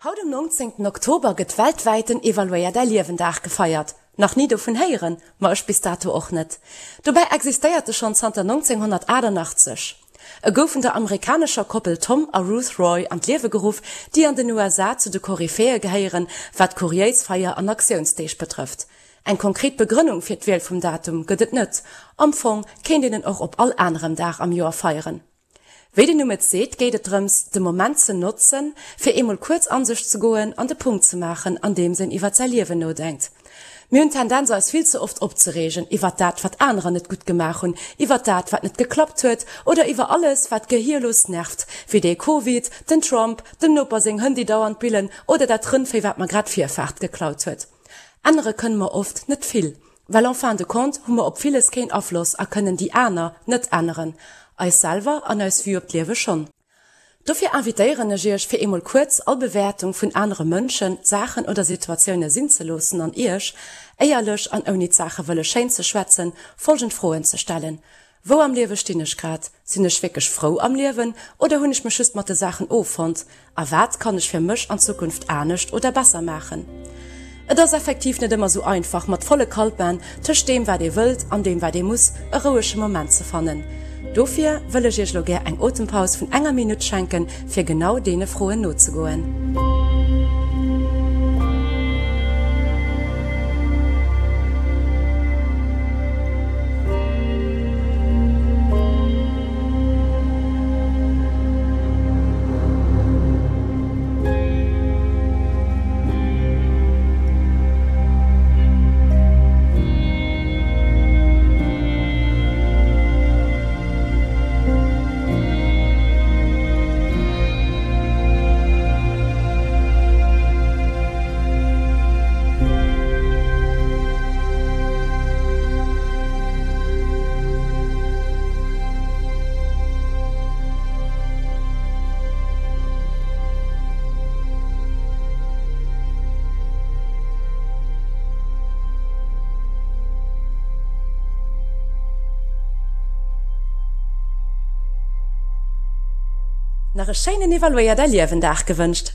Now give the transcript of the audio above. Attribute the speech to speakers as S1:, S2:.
S1: Haut um 19 Oktober gëtt weltwäit den Evaluéier däi Liewen Dag gefeiert. Nach ni dovun héieren? Ma ech bis dato och net. Dobäi existéiert e schonn zanter 1988. E gouf vun der amerikanescher Koppel Tom a Ruth Roy an d'Liewe geruff, déi an den USA zu de Koryphäe gehéieren, wat kuriéis Feier an Aktiounsdeeg betrëfft. Eng konkret Begrënnung fir d'Wiel vum Datum gëtt et net. Am Fong kéint een en och op all anerem Dag am Joer feieren. Wéi den Numm et seet, geet et drëms, de Moment ze notzen, fir eemol kuerz an sech ze goen an de Punkt ze maachen, andeems een iwwert säi Liewen nodenkt. Mir hunn d'Tendenz, eis vill ze oft opzereegen iwwert dat, wat anerer net gutt gemaach hunn, iwwert dat, wat net geklappt huet oder iwwer alles, wat gehierlos nervt, wéi dee Covid, den Trump, dem Noper seng Hënn, déi dauernd billen oder dat Rëndvéi, wat mer grad d'Virfaart geklaut huet. Ännere kënne mer oft net vill. Well en fin de compte hu mer op villes keen Afloss a kënnen déi aner net änneren, eis selwer an eis Vue op d'Liewe schonn. Dofir invitéieren ech iech fir eemol kuerz all Bewäertung vun anere Mënschen, Saachen oder Situatioune sinn ze loossen an iech, éierlech an ouni d'Saache wëlle schéin ze schwätzen, folgend Froen ze stellen, Wou am Liewe stinn ech grad? Sinn ech wierklech frou am Liewen oder hunn ech mech just mat de Saachen offonnt? A wat kann ech fir mech an Zukunft anescht oder besser maachen? Et ass effektiv net ëmmer sou einfach, mat volle Kaltbänn tëscht deem wat ee wëllt an deem wat ee muss, e rouege Moment ze fannen. Dofir wëll ech iech elo gär eng Otempaus vun enger Minutt schenken, fir genau deene Froen nozegoen. Nach e schéinen Evaluéier däi Liewen Dag gewënscht.